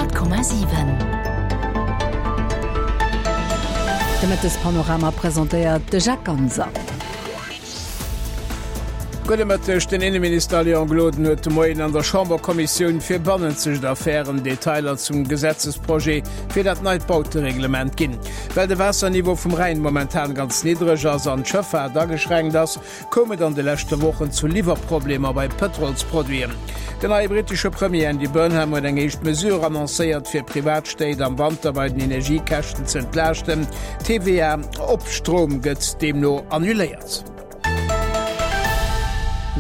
100,7. De Mëttespanorama presentéiert de Jacques Ganser. Gudde Mëtteg, Den Inneminister Léon Gloden huet de Moien an der Chamberkommissioun fir bannenzegt Affären Detailer zum Gesetzesprojet fir dat neit Bautereglement ginn. Well de Waasserniveau vum Rhäin momentan ganz niddreg ass an d'Schëffaart ageschränkt ass, koum et an de leschte Wochen zu Liwwerproblemer bei Pëtrolsproduiten. Den neie brittesche Premier Andy Burnham huet eng éischt Mesure annoncéiert, fir Privatstéit am Wanter bei den Energiekäschten ze entlaaschten. D'TVA op Stroum gëtt deemno annuléiert.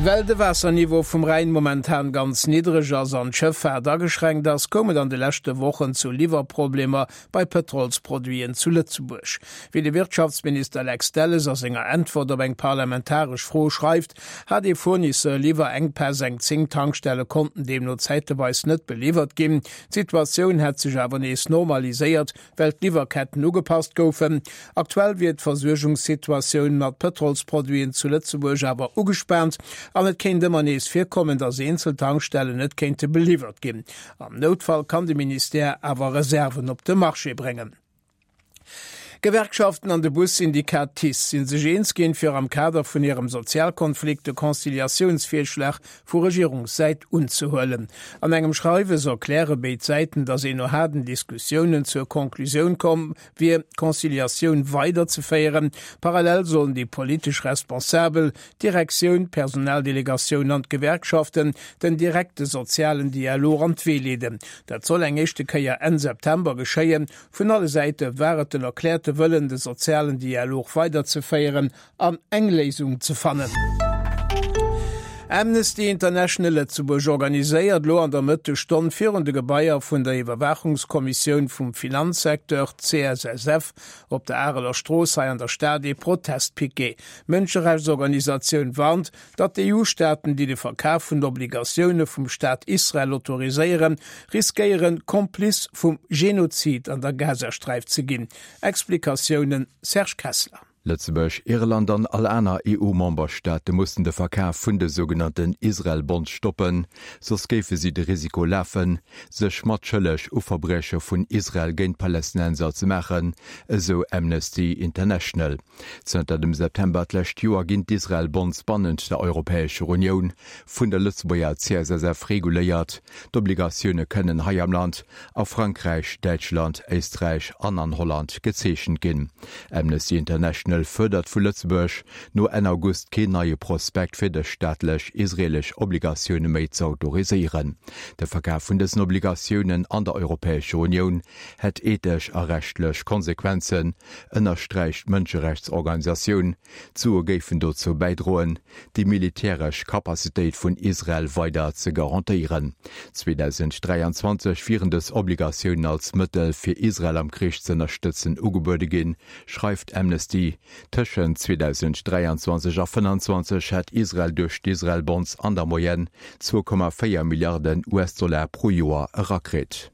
Well de Waasserniveau vum Rhäin momentan ganz niddreg ass an d'Schëffaart ageschränkt ass, koum et an de leschte Wochen zu Liwwerproblemer bei Pëtrolsproduiten zu Lëtzebuerg. Wéi de Wirtschaftsminister Lex Delles a senger Äntwert op eng parlamentaresch Fro schreift, hat ee Fournisseur Liwwerenkpäss, eng 10 Tankstelle konnten deemno zäiteweis net beliwwert ginn. D'Situatioun hätt sech awer nees normaliséiert, well d'Liwwerketten ugepasst goufen. Aktuell wier d'Versuergungssituatioun mat Pëtrolsproduiten zu Lëtzebuerg awer ugespaant an et kéint ëmmer nees virkommen, datt eenzel Tankstellen net kéinte beliwwert ginn. Am Noutfall kann de Ministère awer Reserven op de Marché bréngen. D'Gewerkschaften an de Bussyndikat TICE si sech eens ginn, fir am Kader vun hirem Sozialkonflikt de Conciliatiounsvirschlag vu Regierungssäit unzehuelen. An engem Schreiwes erkläre béid Säiten, datt een no haarden Diskussiounen zur Conclusioun komm wier, d'Conciliatioun weiderzeféieren. Parallel sollen déi politesch Responsabel, d'Direktioun, d'Personaldelegatioun an d'Gewerkschaften, den direkte sozialen Dialog an d'Wee leeden. Dat soll eng éischte Kéier Enn September geschéien. Vun alle Säite war et den erkläerte Wëllen, de sozialen Dialog weiderzeféieren an eng Léisung ze fannen. Amnesty International Lëtzebuerg organiséiert elo an der Mëttesstonn virun de Gebaier vun der Iwwerwaachungskommissioun vum Finanzsecteur, CSSF, op der Areler Strooss hei an der Stad ee Protestpiquet. D'Mënscherechtsorganisatioun warnt, datt d'EU-Staaten, déi de Verkaf vun Obligatioune vum Staat Israel autoriséieren, riskéieren, Kompliz vum Genozid an der Gazasträif ze ginn. Explikatiounen Serge Kessler. Lëtzebuerg, Irland an all aner EU-Memberstaate mussen de Verkaf vun de sougenannten Israel-Bonds stoppen, soss géife si de Risiko lafen, sech matschëlleg u Verbrieche vun Israel géint Palästinenser ze maachen, esou Amnesty International. Zënter dem September d'lescht Joer ginn d'Israel-Bonds bannent der Europäescher Unioun vun der Lëtzebuerger CSSF reguléiert. D'Obligatioune kënnen hei am Land, a Frankräich, Däitschland, Éisträich an an Holland gezeechent ginn. Amnesty International fuerdert vu Lëtzebuerg, no Enn August keen neie Prospekt fir dës staatlech israeelesch Obligatioune méi ze autoriséieren. De Verkaf vun dësen Obligatiounen an der Europäescher Unioun hätt ethesch a rechtlech Konsequenzen, ënnersträicht d'Mënscherechtsorganisatioun. D'Sue géifen dozou bäidroen, déi militäresch Capacitéit vun Israel weider ze garantéieren. 2023 wieren dës Obligatiounen als Mëttel, fir Israel am Krich z'ënnerstëtzen, ugebuede ginn, schreift Amnesty. Tëschent 2023 a 2025 hätt Israel duerch d'Israel Bonds an der Moyenne 2,4 Milliarden US-Dollar pro Joer erakritt.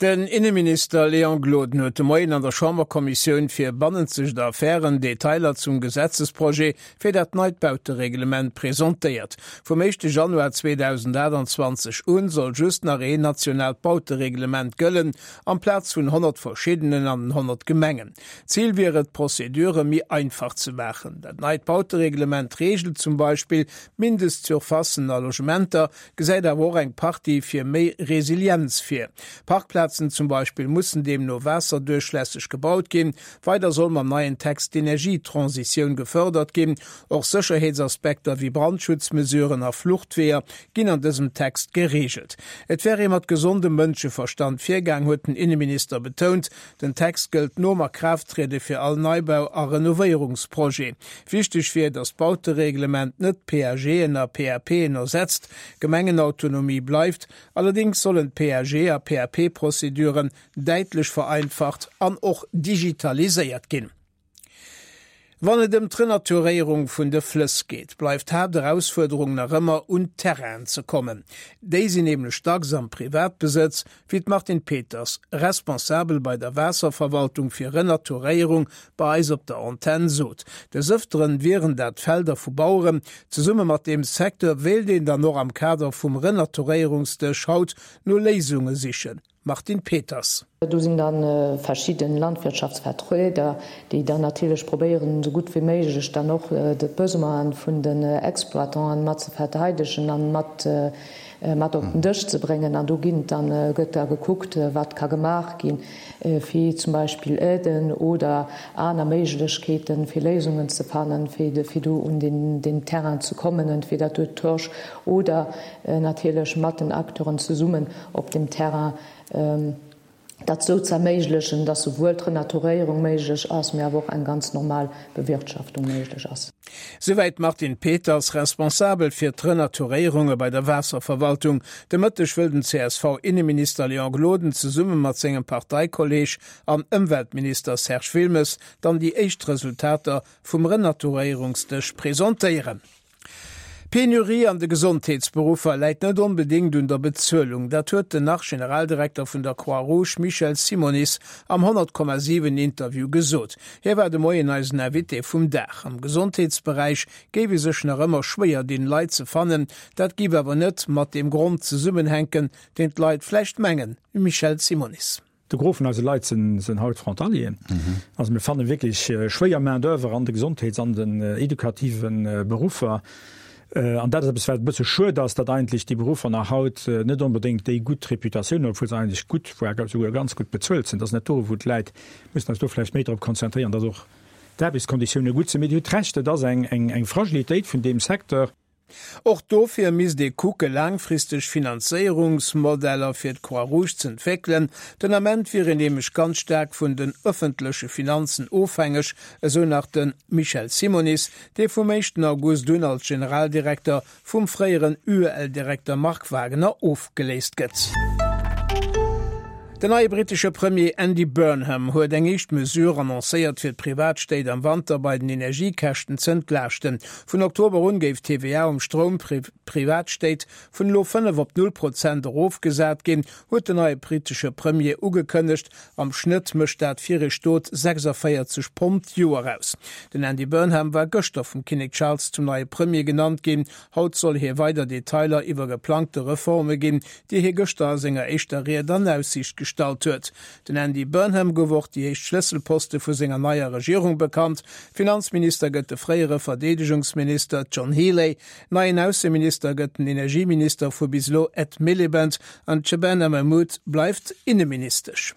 Den Inneminister Léon Gloden huet de Moien an der Chamberkommissioun fir bannenzegt Affären Detailer zum Gesetzesprojet fir dat neit Bautereglement presentéiert. Vum éischte Januar 2028 un soll just nach een nationaalt Bautereglement gëllen, amplaz vun 100 verschiddenen an den 100 Gemengen. Zil wier et, d'Prozedure méi einfach ze maachen. Dat neit Bautereglement reegelt zum Beispill d'Mindestsurfacen a Logementer, gesäit awer och eng Partie fir méi Resilienz vir. Parkplazen zum Beispill mussen deemno waasserduerchlässeg gebaut ginn. Weider soll mam neien Text d'Energietransitioun gefërdert ginn. Och Sécherheetsaspekter wéi Brandschutzmesuren a Fluchtweeër ginn an dësem Text gereegelt. Et wär ee mat gesondem Mënscheverstand virgaang, huet den Inneminister betount. Den Text gëllt nom Akraafttriede fir all Neibau a Renovéierungsprojet. Wichteg wier, datt d'Bautereglement net d'PAGen a PAPen ersetzt, Gemengenautonomie bleift. Allerdéngs sollen d'PAG a PAP-Prozeduren däitlech vereinfacht an och digitaliséiert ginn. Wann et ëm d'Renaturéierung vun de Flëss geet, bleift d'Haapterausfuerderung nach ëmmer, un Terrainen ze kommen. Déi sinn nämlech dacks am Privatbesëtz, wéi d'Martine Peters, Responsabel bei der Waasserverwaltung fir Renaturéierung, bei eis op der Antenn sot. Des Ëfteren wieren dat Felder vu Baueren. Zesumme mat deem Secteur wéilt een dann och am Kader vum Renaturéierungsdësch haut no Léisunge sichen. Martine Peters. Do sinn da verschidde Landwirtschaftsvertrieder, déi dann natierlech probéieren, esou gutt wéi méiglech dann och d'Besoine vun den Exploitanten mat ze verteidegen a mat mat op den Dësch ze bréngen. An do ginn dann, gëtt da gekuckt, wat ka gemaach ginn, fir zum Beispill Aiden oder aner Méiglechkeeten, fir Léisungen ze fannen, fir fir do un den den Terrain ze kommen, entweder duerch d'Torch oder natierlech mat den Acteuren zesummen op dem Terrain, dat esou ze erméiglechen, dass souwuel d'Renaturéierung méiglech ass, mee awer och eng ganz normal Bewirtschaftung méiglech ass. Souwäit d'Martine Peters, Responsabel fir d'Renaturéierunge bei der Waasserverwaltung. De Mëtteg wëll den CSV-Inneminister Léon Gloden zesumme mat sengem Parteikolleeg an Ëmweltminister Serge Wilmes dann déi éischt Resultater vum Renaturéierungsdësch presentéieren. D'Penurie an de Gesondheetsberuffer läit net onbedéngt un der Bezuelung. Dat huet den Nach-Generaldirekter vun der Croix-Rouge Michel Simonis am 100,7 Interview gesot. Hie war de Moien eisen Invité vum Dag. Am Gesondheetsberäich géif ee sech nach ëmmer schwéier dinn, Leit ze fannen. Dat géif awer net mat deem Grond zesummenhänken, deen d'Leit vläicht mengen. Michel Simonis. De Gros vun eise Leit sinn haut Frontalieren. Also mir fanne wierklech schwéier Main d'oeuvre an de Gesondheets an den edukative Beruffer. An dat ass eppes, wat e bësse schued ass, datt eigentlech déi Beruffer nach haut net onbedéngt déi gutt Reputatioun hunn, obwuel se eigentlech gutt, voire souguer ganz gutt bezuelt sinn. Dat ass net do, wou d'Läit mussen eis do vläicht méi drop konzentréieren, datt och d'Aarbechtskonditioune gutt sinn. Mee Dir hutt Recht, et ass eng Fragilitéit vun deem Secteur. Och dofir misst ee kucke laangfristeg Finanzéierungsmodeller fir d'Croix-Rouge z'entwéckelen. Den Ament wier een nämlech ganz staark vun den ëffentleche Finanzen ofhängeg, esou nach de Michel Simonis, dee vum éischten August un als Generaldirekter vum fréieren UEL-Direkter Marc Wagener ofgeléist gëtt. Den neie brittesche Premier Andy Burnham huet eng éischt Mesure annoncéiert, fir d'Privatstéit am Wanter bei den Energiekäschten z'entlaaschten. Vun Oktober un géif d'TVA um Stroum Privatstéit vun elo 5 op 0 Prozent erofgesat ginn, huet den neie brittesche Premier ugekënnegt. Am Schnëtt mécht dat fir ee Stot 46 Pond d'Joer aus. Den Andy Burnham war gëschter vum Kinnek Charles zum neie Premier genannt ginn. Haut soll hie weider Detailer iwwer geplangte Reforme ginn, déi hie gëschter a senger éischter Ried an Aussiicht gestallt huet. Den Andy Burnham gouf och déi éischt Schlësselposte vu senger neier Regierung bekannt. Finanzminister gëtt de fréiere Verdeedegungsminister John Healey, neien Ausseminister gëtt den Energieminister vu bis elo Ed Miliband an d'Shabana Mahmood bleift Inneministesch.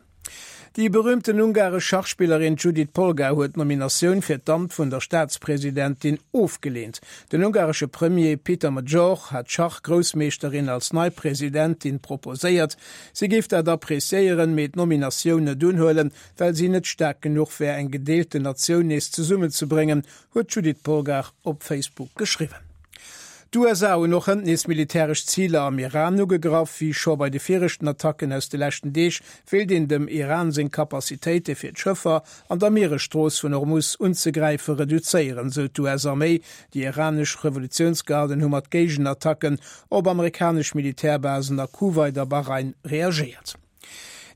Déi berüümten ungaresch Schachspillerin Judit Polgar huet d'Nominatioun fir d'Amt vun der Staatspresidentin ofgeleent. Den ungaresche Premier Peter Magyar hat d'Schach-Groussmeeschterin als nei Presidentin proposéiert. Si géif dat appreciéieren, mee d'Nominatioun net unhuelen, well si net staark genuch wär, eng gedeelten Natioun nees zesummenzebréngen, huet d'Judit Polgar op Facebook geschriwwen. D'USA hunn och hënt nees militäresch Ziler am Iran ugegraff. Wéi scho bei de viregten Attacken aus de leschten Deeg wéilt een dem Iran seng Capacitéite fir d'Schëffer an der Mieresstrooss vun Hormus unzegräife reduzéieren, sou d'US-Arméi. Déi iranesch Revolutiounsgarden hu mat Géigenattacken op amerikanesch Militärbasen a Kuwait a Bahrain reagéiert.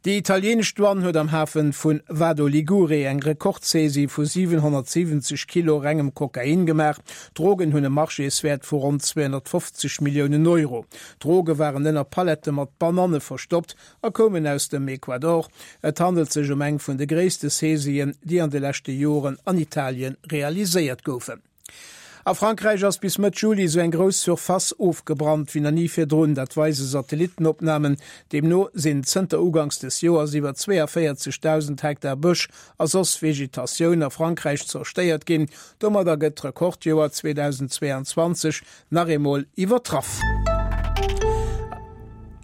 Déi italieenesch Douane huet am Hafe vu Vado Ligure eng Rekordsaisie vu 770 Kilo rengem Kokain gemaach. D'Drogen hunn e Marchéswäert vu ronn 250 Milliounen Euro. D'Droge waren ënner Pallette mat Bananne verstoppt a koumen aus dem Ecuador. Et handelt sech ëm eng vun de gréisste Saisien, déi an de leschte Joren an Italien realiséiert goufen. A Frankräich ass bis Mëtt Juli esou eng grouss Surface ofgebrannt wéi nach ni virdrun. Dat weise Satellittenopnamen. Deemno sinn zënter uganks des Joers iwwer 42.000 Hektar Bësch a soss Vegetatioun a Frankräich zerstéiert ginn. Domadder gëtt d'Rekordjoer 2022 nach eemol iwwertraff.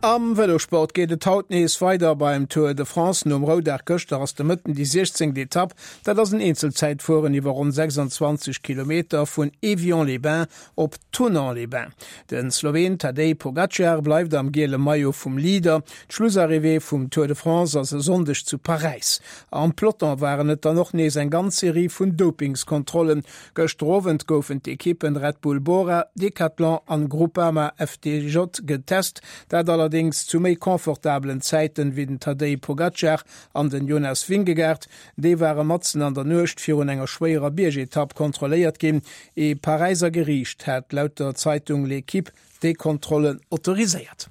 Am Vëlosport geet et haut nees weider beim Tour de France. Nom Roudag gëschter ass de Mëtten déi 16. Etapp. Dat ass en Eenzelzäitfueren iwwer ronn 26 Kilometer vun Évian-les-Bains op Thonon-les-Bains. De Sloween Tadej Pogacar bleift am giele Maillot vum Leader. D'Schlussarrivée vum Tour de France ass e Sonndeg zu Paräis. Am Peloton waren et dann och nees eng ganz Serie vun Dopingskontrollen. Gëschter Owend goufen d'Ekippen Red Bull Bora, Decathlon an Groupama FDJ getest, dat allerdéngs zu méi confortabelen Zäiten wéi den Tadej Pogacar an den Jonas Vingegaard. Déi ware matzen an der Nuecht virun enger schwéierer Biergetapp kontrolléiert ginn. Ee Paräiser Geriicht hat laut der Zeitung L'Equipe déi Kontrollen autoriséiert.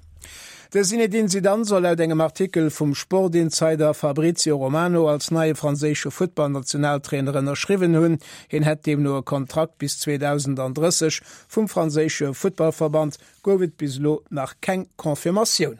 De Zinedine Zidane soll laut engem Artikel vum Sportinsider Fabrizio Romano als neie franséische Futtballnationaltrainer ënnerschriwwen hunn. Hien hätt deemno e Kontrakt bis 2030. Vum franséische Futtballverband gouf et bis elo nach keng Confirmatioun.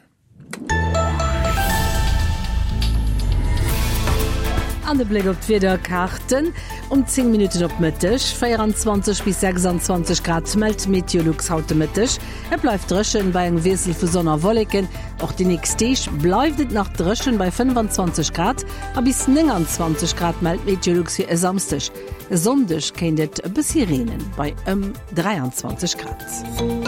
An de Bléck op d'Wiederkaarten um 10 Minutten op Mëtteg, 24 bis 26 Grad mellt Meteolux haut de Mëtteg. Et bleift dréchen bei engem Wiessel vu Sonn a Wolleken. Och déi nächst Deeg bleift et nach dréchen bei 25 Grad a bis 29 Grad mellt Meteolux fir e Samsdeg. E Sonndeg kéint et e bëssi reenen bei ëm 23 Grad.